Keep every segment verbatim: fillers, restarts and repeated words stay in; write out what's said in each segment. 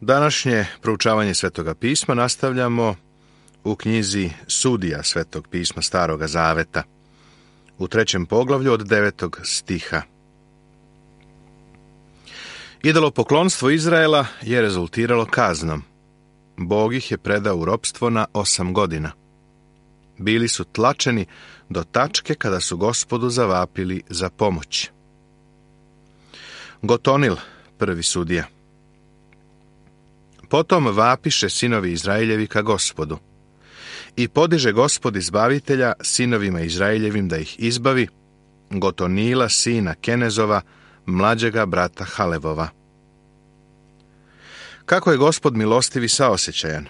Današnje proučavanje Svetoga pisma nastavljamo u knjizi Sudija Svetog pisma Staroga Zaveta, u trećem poglavlju od devetog stiha. Idolopoklonstvo Izraela je rezultiralo kaznom. Bog ih je predao u ropstvo na osam godina. Bili su tlačeni do tačke kada su Gospodu zavapili za pomoć. Gotonil, prvi sudija. Potom vapiše sinovi Izraeljevi ka Gospodu. I podiže Gospod izbavitelja sinovima Izraeljevim da ih izbavi, Gotonila, sina Kenezova, mlađega brata Halevova. Kako je Gospod milostiv i saosjećajan.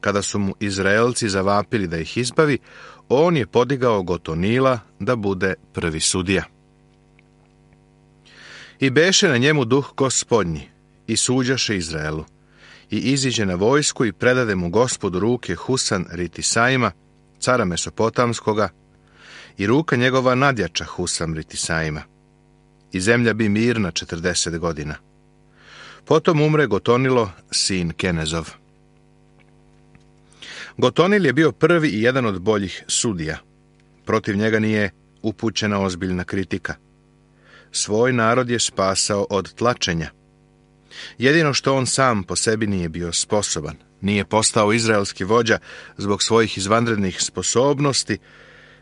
Kada su mu Izraelci zavapili da ih izbavi, on je podigao Gotonila da bude prvi sudija. I beše na njemu duh Gospodnji, i suđaše Izraelu, i iziđe na vojsku i predade mu Gospodu ruke Husan Ritisaima, cara Mesopotamskoga, i ruka njegova nadjača Husam Ritisaima. I zemlja bi mirna četrdeset godina. Potom umre Gotonilo, sin Kenezov. Gotonil je bio prvi i jedan od boljih sudija. Protiv njega nije upućena ozbiljna kritika. Svoj narod je spasao od tlačenja. Jedino što on sam po sebi nije bio sposoban. Nije postao izraelski vođa zbog svojih izvanrednih sposobnosti,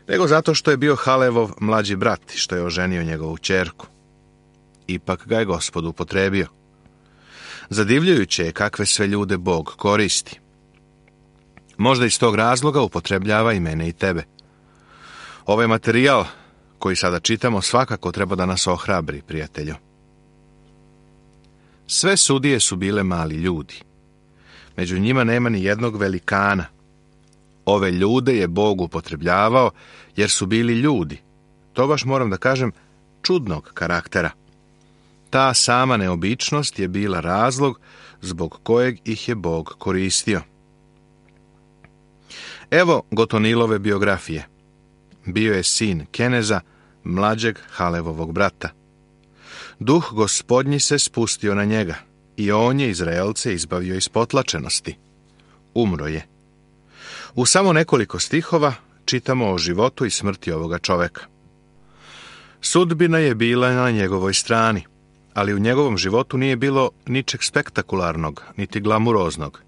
nego zato što je bio Halevov mlađi brat i što je oženio njegovu ćerku. Ipak ga je Gospod upotrebio. Zadivljujuće je kakve sve ljude Bog koristi. Možda iz tog razloga upotrebljava i mene i tebe. Ovaj materijal koji sada čitamo svakako treba da nas ohrabri, prijatelju. Sve sudije su bile mali ljudi. Među njima nema ni jednog velikana. Ove ljude je Bog upotrebljavao jer su bili ljudi. To baš moram da kažem čudnog karaktera. Ta sama neobičnost je bila razlog zbog kojeg ih je Bog koristio. Evo Gotonilove biografije. Bio je sin Keneza, mlađeg Halevovog brata. Duh Gospodnji se spustio na njega i on je Izraelce izbavio iz potlačenosti. Umro je. U samo nekoliko stihova čitamo o životu i smrti ovoga čoveka. Sudbina je bila na njegovoj strani, ali u njegovom životu nije bilo ničeg spektakularnog, niti glamuroznog.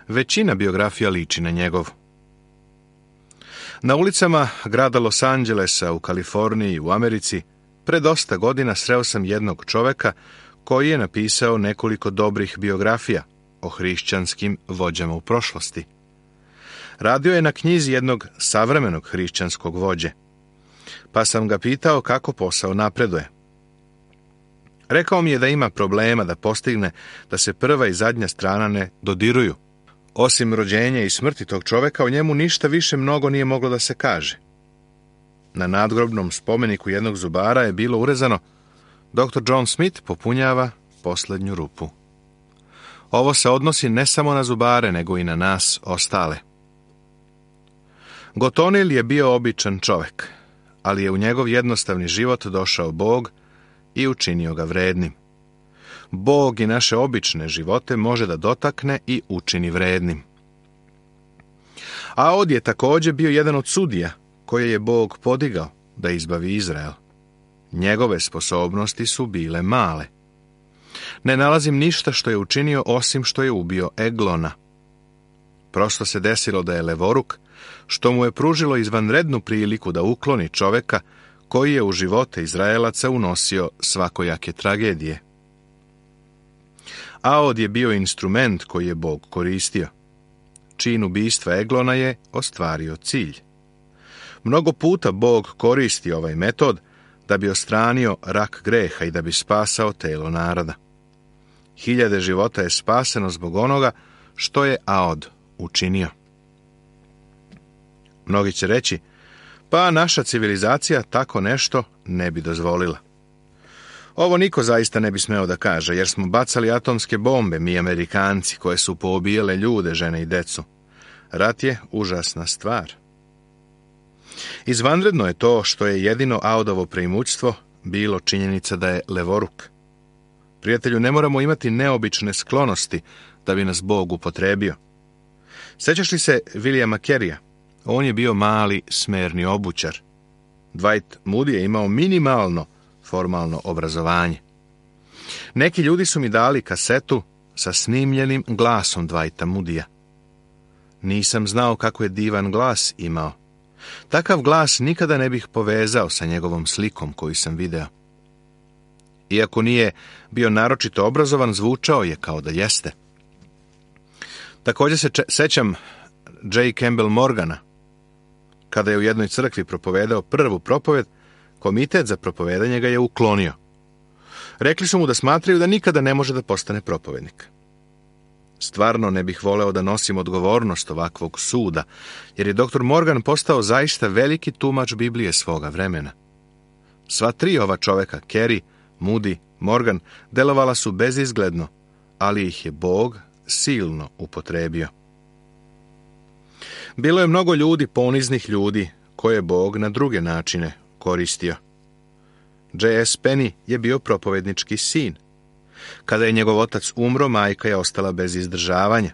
Većina biografija liči na njegovu. Na ulicama grada Los Angelesa u Kaliforniji u Americi pre dosta godina sreo sam jednog čoveka koji je napisao nekoliko dobrih biografija o hrišćanskim vođama u prošlosti. Radio je na knjizi jednog savremenog hrišćanskog vođe, pa sam ga pitao kako posao napreduje. Rekao mi je da ima problema da postigne da se prva i zadnja strana ne dodiruju. Osim rođenja i smrti tog čoveka, o njemu ništa više mnogo nije moglo da se kaže. Na nadgrobnom spomeniku jednog zubara je bilo urezano: doktor John Smith popunjava posljednju rupu. Ovo se odnosi ne samo na zubare, nego i na nas ostale. Gotonil je bio običan čovek, ali je u njegov jednostavni život došao Bog i učinio ga vrednim. Bog i naše obične živote može da dotakne i učini vrednim. Aod je također bio jedan od sudija koje je Bog podigao da izbavi Izrael. Njegove sposobnosti su bile male. Ne nalazim ništa što je učinio osim što je ubio Eglona. Prosto se desilo da je levoruk, što mu je pružilo izvanrednu priliku da ukloni čoveka koji je u živote Izraelaca unosio svakojake tragedije. Aod je bio instrument koji je Bog koristio. Čin ubistva Eglona je ostvario cilj. Mnogo puta Bog koristi ovaj metod da bi odstranio rak greha i da bi spasao telo naroda. Hiljade života je spaseno zbog onoga što je Aod učinio. Mnogi će reći: pa naša civilizacija tako nešto ne bi dozvolila. Ovo niko zaista ne bi smeo da kaže, jer smo bacali atomske bombe, mi Amerikanci, koje su poubijale ljude, žene i decu. Rat je užasna stvar. Izvanredno je to što je jedino Aodovo preimućstvo bilo činjenica da je levoruk. Prijatelju, ne moramo imati neobične sklonosti da bi nas Bog upotrebio. Sjećaš li se Williama Careyja? On je bio mali, smerni obućar. Dwight Moody je imao minimalno formalno obrazovanje. Neki ljudi su mi dali kasetu sa snimljenim glasom Dwighta Moodyja. Nisam znao kako je divan glas imao. Takav glas nikada ne bih povezao sa njegovom slikom koju sam video. Iako nije bio naročito obrazovan, zvučao je kao da jeste. Također se če- sećam J. Campbell Morgana. Kada je u jednoj crkvi propovedao prvu propoved, komitet za propovedanje ga je uklonio. Rekli su mu da smatraju da nikada ne može da postane propovednik. Stvarno ne bih voleo da nosim odgovornost ovakvog suda, jer je doktor Morgan postao zaista veliki tumač Biblije svoga vremena. Sva tri ova čoveka, Carey, Moody, Morgan, delovala su bezizgledno, ali ih je Bog silno upotrebio. Bilo je mnogo ljudi, poniznih ljudi, koje je Bog na druge načine koristio. J S Penny je bio propovednički sin. Kada je njegov otac umro, majka je ostala bez izdržavanja,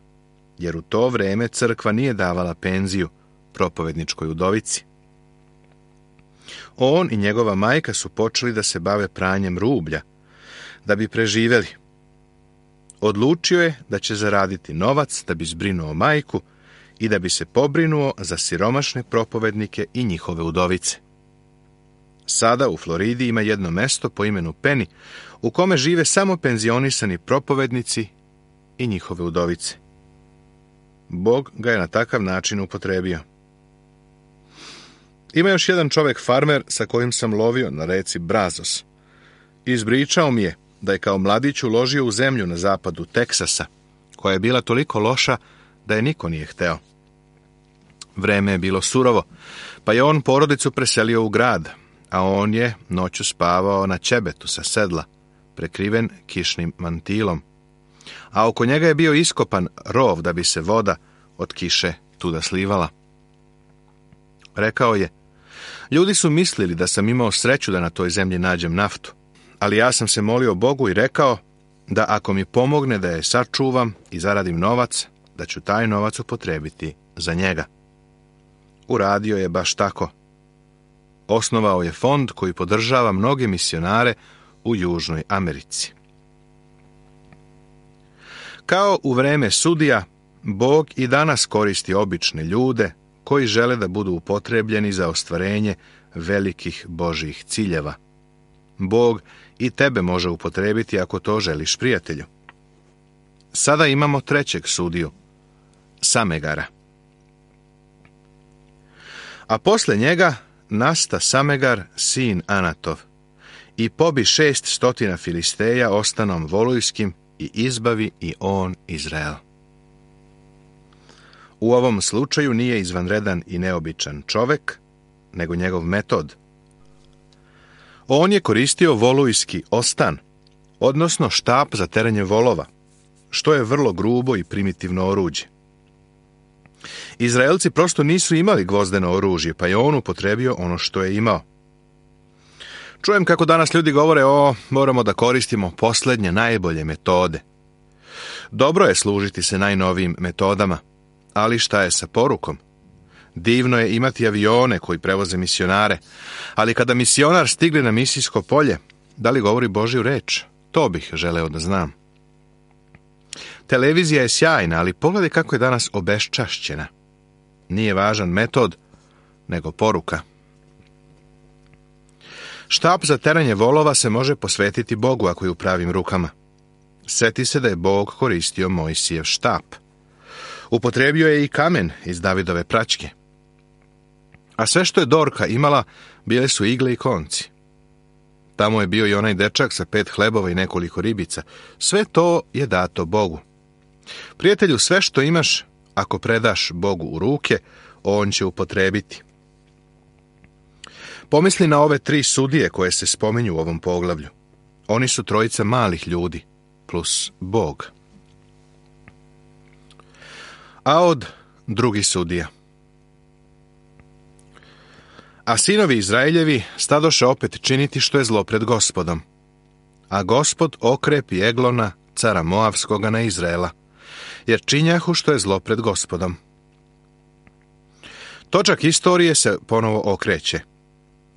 jer u to vreme crkva nije davala penziju propovedničkoj udovici. On i njegova majka su počeli da se bave pranjem rublja, da bi preživjeli. Odlučio je da će zaraditi novac da bi zbrinuo majku i da bi se pobrinuo za siromašne propovednike i njihove udovice. Sada u Floridi ima jedno mesto po imenu Penny, u kome žive samo penzionisani propovednici i njihove udovice. Bog ga je na takav način upotrebio. Ima još jedan čovjek farmer sa kojim sam lovio na reci Brazos. Izbričao mi je da je kao mladić uložio u zemlju na zapadu Teksasa, koja je bila toliko loša da je niko nije hteo. Vreme je bilo surovo, pa je on porodicu preselio u grad, a on je noću spavao na ćebetu sa sedla, prekriven kišnim mantilom. A oko njega je bio iskopan rov da bi se voda od kiše tuda slivala. Rekao je, ljudi su mislili da sam imao sreću da na toj zemlji nađem naftu, ali ja sam se molio Bogu i rekao da ako mi pomogne da je sačuvam i zaradim novac, da ću taj novac upotrebiti za njega. Uradio je baš tako. Osnovao je fond koji podržava mnoge misionare u Južnoj Americi. Kao u vreme sudija, Bog i danas koristi obične ljude koji žele da budu upotrebljeni za ostvarenje velikih Božjih ciljeva. Bog i tebe može upotrebiti ako to želiš, prijatelju. Sada imamo trećeg sudiju, Samegara. A posle njega nasta Samegar, sin Anatov, i pobi šest stotina Filisteja ostanom volujskim i izbavi i on Izrael. U ovom slučaju nije izvanredan i neobičan čovek, nego njegov metod. On je koristio volujski ostan, odnosno štap za terenje volova, što je vrlo grubo i primitivno oruđe. Izraelci prosto nisu imali gvozdeno oružje, pa je on upotrebio ono što je imao. Čujem kako danas ljudi govore, o, moramo da koristimo posljednje, najbolje metode. Dobro je služiti se najnovijim metodama, ali šta je sa porukom? Divno je imati avione koji prevoze misionare, ali kada misionar stigne na misijsko polje, da li govori Božju reč? To bih želeo da znam. Televizija je sjajna, ali pogledaj kako je danas obeščašćena. Nije važan metod, nego poruka. Štap za teranje volova se može posvetiti Bogu ako je u pravim rukama. Seti se da je Bog koristio Mojsijev štap. Upotrebio je i kamen iz Davidove praćke. A sve što je Dorka imala, bile su igle i konci. Tamo je bio i onaj dečak sa pet hlebova i nekoliko ribica. Sve to je dato Bogu. Prijatelju, sve što imaš, ako predaš Bogu u ruke, on će upotrebiti. Pomisli na ove tri sudije koje se spominju u ovom poglavlju. Oni su trojica malih ljudi, plus Bog. A od drugi sudija. A sinovi Izraeljevi stadoše opet činiti što je zlo pred Gospodom. a Gospod okrepi Eglona, cara Moavskoga, na Izraela, jer činjahu što je zlo pred Gospodom. Točak istorije se ponovo okreće.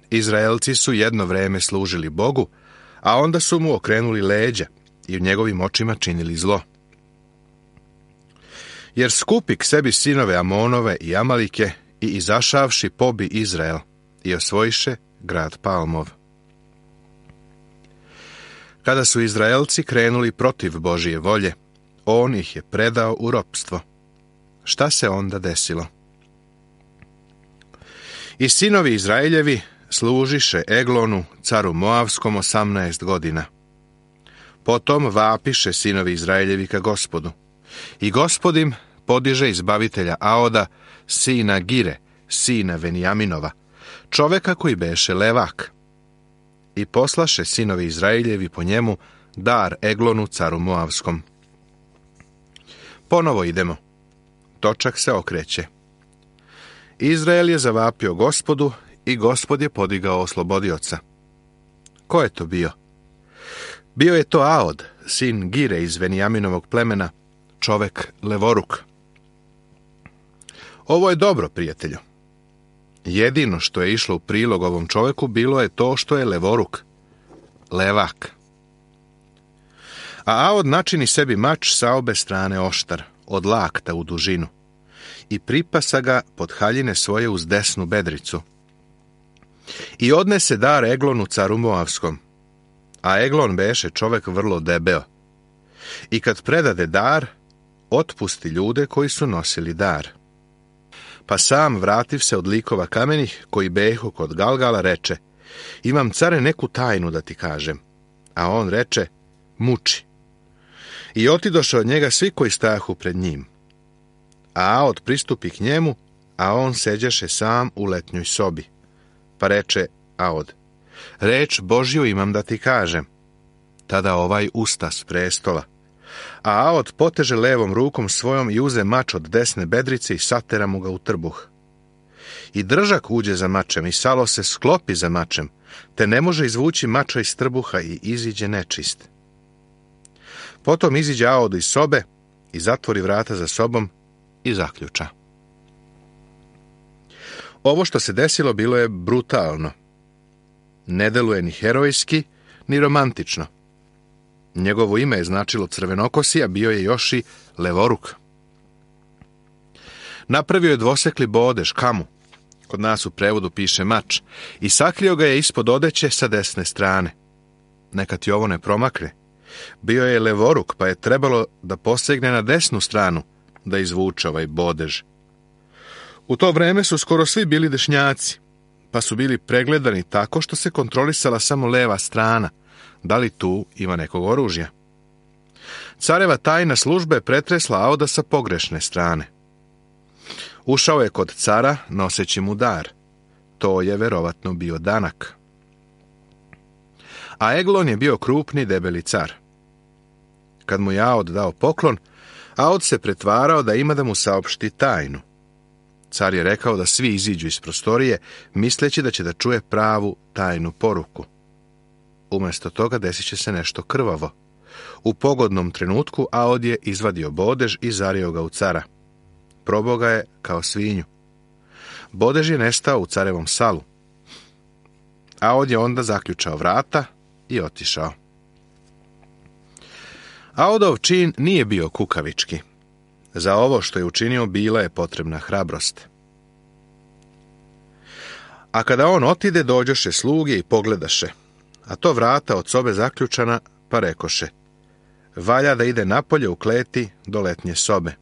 Izraelci su jedno vreme služili Bogu, a onda su mu okrenuli leđa i u njegovim očima činili zlo. Jer skupi k sebi sinove Amonove i Amalike i izašavši pobi Izrael i osvojiše grad Palmov. Kada su Izraelci krenuli protiv Božije volje, on ih je predao u ropstvo. Šta se onda desilo? I sinovi Izraeljevi služiše Eglonu, caru Moavskom, osamnaest godina. Potom vapiše sinovi Izraeljevi ka Gospodu. I Gospod im podiže izbavitelja Aoda, sina Gire, sina Venijaminova, čoveka koji beše levak. I poslaše sinovi Izraeljevi po njemu dar Eglonu, caru Moavskom. Ponovo idemo. Točak se okreće. Izrael je zavapio Gospodu i Gospod je podigao oslobodioca. Ko je to bio? Bio je to Aod, sin Gire iz Venijaminovog plemena, čovek levoruk. Ovo je dobro, prijatelju. Jedino što je išlo u prilog ovom čoveku bilo je to što je levoruk, levak. A Aod načini sebi mač sa obe strane oštar, od lakta u dužinu, i pripasa ga pod haljine svoje uz desnu bedricu. I odnese dar Eglonu, caru Moavskom, a Eglon beše čovek vrlo debeo. I kad predade dar, otpusti ljude koji su nosili dar. Pa sam, vrativ se od likova kamenih, koji behu kod Galgala, reče: imam, care, neku tajnu da ti kažem. A on reče: muči. I otidoše od njega svi koji stajahu pred njim. A Aod pristupi k njemu, a on seđeše sam u letnjoj sobi. Pa reče Aod: reč Božju imam da ti kažem. Tada ovaj usta s prestola. A Aod poteže levom rukom svojom i uze mač od desne bedrice i satera mu ga u trbuh. I držak uđe za mačem i salo se sklopi za mačem, te ne može izvući mača iz trbuha i iziđe nečist. Potom iziđe Aod iz sobe i zatvori vrata za sobom i zaključa. Ovo što se desilo bilo je brutalno. Ne deluje ni herojski, ni romantično. Njegovo ime je značilo crvenokosi, a bio je još i levoruk. Napravio je dvosekli bodež, kamu, kod nas u prevodu piše mač, i sakrio ga je ispod odeće sa desne strane. Neka ti ovo ne promakne. Bio je levoruk, pa je trebalo da posegne na desnu stranu, da izvuče ovaj bodež. U to vreme su skoro svi bili dešnjaci, pa su bili pregledani tako što se kontrolisala samo leva strana, da li tu ima nekog oružja. Careva tajna služba je pretresla Aoda sa pogrešne strane. Ušao je kod cara noseći mu dar. To je verovatno bio danak. A Eglon je bio krupni, debeli car. Kad mu je Aod dao poklon, Aod se pretvarao da ima da mu saopšti tajnu. Car je rekao da svi iziđu iz prostorije, misleći da će da čuje pravu tajnu poruku. Umjesto toga desit će se nešto krvavo. U pogodnom trenutku Aod je izvadio bodež i zario ga u cara. Probao ga je kao svinju. Bodež je nestao u carevom salu. Aod je onda zaključao vrata i otišao. Aodov čin nije bio kukavički. Za ovo što je učinio bila je potrebna hrabrost. A kada on otide, dođoše sluge i pogledaše, a to vrata od sobe zaključana, pa rekoše: valja da ide napolje u kleti do letnje sobe.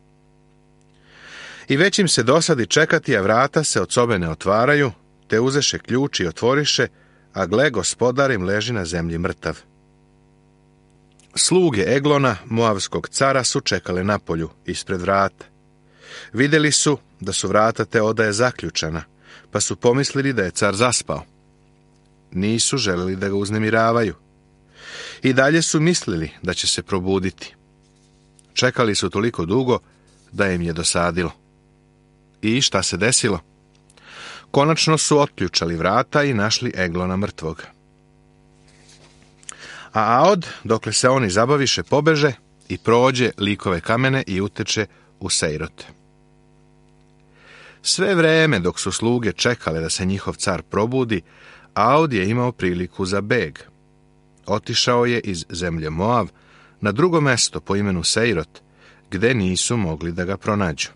I već im se dosadi čekati, a vrata se od sobe ne otvaraju, te uzeše ključ i otvoriše, a gle, gospodar im leži na zemlji mrtav. Sluge Eglona, Moavskog cara, su čekale napolju, ispred vrata. Vidjeli su da su vrata te odaje zaključana, pa su pomislili da je car zaspao. Nisu želeli da ga uznemiravaju. I dalje su mislili da će se probuditi. Čekali su toliko dugo da im je dosadilo. I šta se desilo? Konačno su otključali vrata i našli Eglona mrtvog. A Aod, dokle se oni zabaviše, pobeže i prođe likove kamene i uteče u Sejrot. Sve vreme dok su sluge čekale da se njihov car probudi, Aod je imao priliku za beg. Otišao je iz zemlje Moav na drugo mesto po imenu Sejrot, gde nisu mogli da ga pronađu.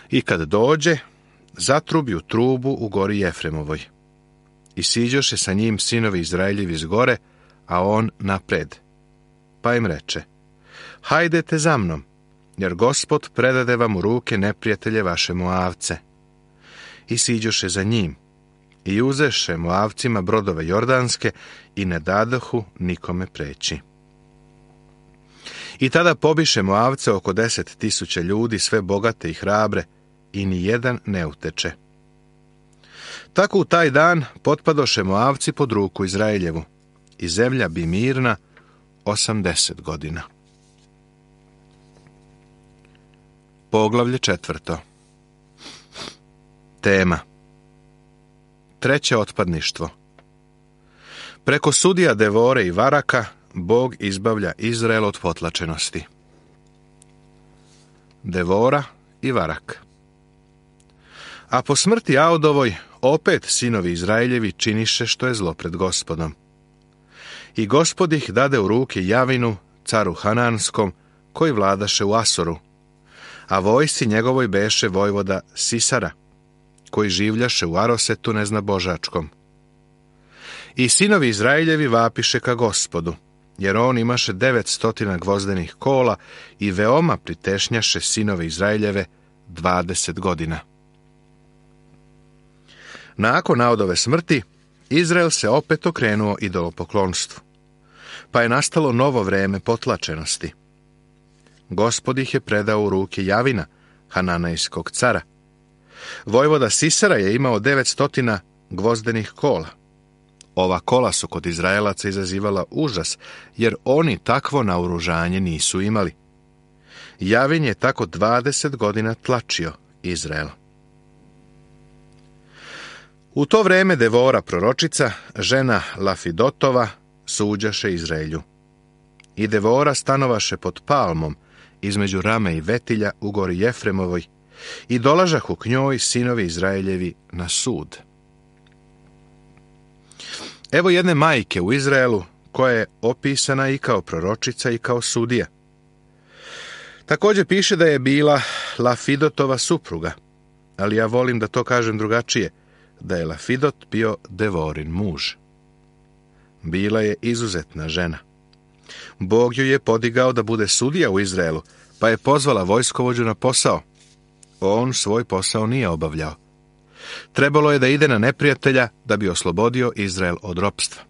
I kad dođe, zatrubi u trubu u gori Jefremovoj. I siđoše sa njim sinovi Izraeljevi s gore, a on napred. Pa im reče: hajdete za mnom, jer Gospod predade vam u ruke neprijatelje vaše Moavce. I siđoše za njim, i uzeše Moavcima brodove jordanske i ne dadohu nikome preći. I tada pobiše Moavce oko deset tisuća ljudi, sve bogate i hrabre, i ni jedan ne uteče. Tako u taj dan potpadoše Moavci pod ruku Izraeljevu, i zemlja bi mirna osamdeset godina. Poglavlje četvrto. Tema: treće otpadništvo. Preko sudija Devore i Varaka Bog izbavlja Izrael od potlačenosti. Devora i Varak. A po smrti Aodovoj opet sinovi Izraeljevi činiše što je zlo pred Gospodom. I Gospod ih dade u ruke Javinu, caru Hananskom, koji vladaše u Asoru, a vojsci njegovoj beše vojvoda Sisara, koji življaše u Arosetu neznabožačkom. I sinovi Izraeljevi vapiše ka Gospodu, jer on imaše devetstotina gvozdenih kola i veoma pritešnjaše sinove Izraeljeve dvadeset godina. Nakon Aodove smrti, Izrael se opet okrenuo idolopoklonstvu, pa je nastalo novo vreme potlačenosti. Gospod ih je predao u ruke Javina, Hananejskog cara. Vojvoda Sisara je imao devetstotina gvozdenih kola. Ova kola su kod Izraelaca izazivala užas, jer oni takvo naoružanje nisu imali. Javin je tako dvadeset godina tlačio Izrael. U to vreme Devora proročica, žena Lafidotova, suđaše Izraelju. I Devora stanovaše pod palmom, između Rame i Vetilja u gori Jefremovoj, i dolažahu k njoj sinovi Izraeljevi na sud. Evo jedne majke u Izraelu, koja je opisana i kao proročica i kao sudija. Također piše da je bila Lafidotova supruga, ali ja volim da to kažem drugačije, da je Lafidot bio Devorin muž. Bila je izuzetna žena. Bog ju je podigao da bude sudija u Izraelu, pa je pozvala vojskovođu na posao. On svoj posao nije obavljao. Trebalo je da ide na neprijatelja da bi oslobodio Izrael od ropstva.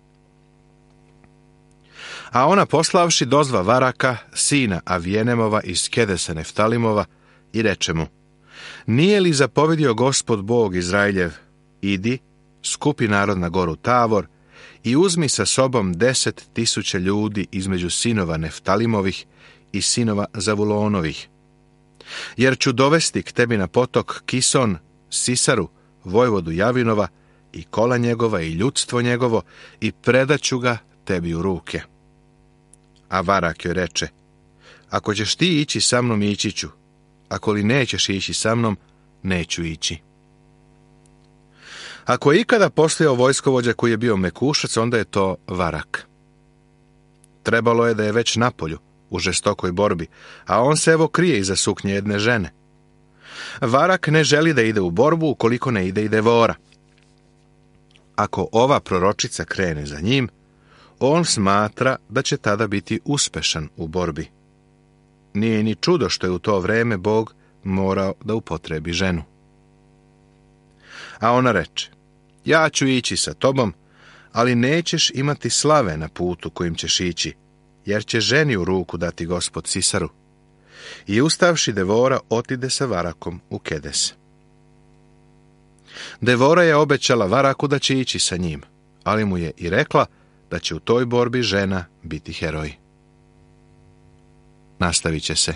A ona poslavši dozva Varaka, sina Avijenemova iz Kedesa Neftalimova, i reče mu: nije li zapovedio Gospod Bog Izraeljev, idi, skupi narod na goru Tavor i uzmi sa sobom deset tisuća ljudi između sinova Neftalimovih i sinova Zavulonovih. Jer ću dovesti k tebi na potok Kison, Sisaru, vojvodu Javinova, i kola njegova i ljudstvo njegovo, i predaću ga tebi u ruke. A Varak joj reče: ako ćeš ti ići sa mnom, ići ću, ako li nećeš ići sa mnom, neću ići. Ako je ikada postojao vojskovođa koji je bio mekušac, onda je to Varak. Trebalo je da je već napolju, u žestokoj borbi, a on se evo krije iza suknje jedne žene. Varak ne želi da ide u borbu ukoliko ne ide i Devora. Ako ova proročica krene za njim, on smatra da će tada biti uspešan u borbi. Nije ni čudo što je u to vreme Bog morao da upotrebi ženu. A ona reče: ja ću ići sa tobom, ali nećeš imati slave na putu kojim ćeš ići, jer će ženi u ruku dati Gospod Sisaru. I ustavši Devora otide sa Varakom u Kedes. Devora je obećala Varaku da će ići sa njim, ali mu je i rekla da će u toj borbi žena biti heroj. Nastavit će se.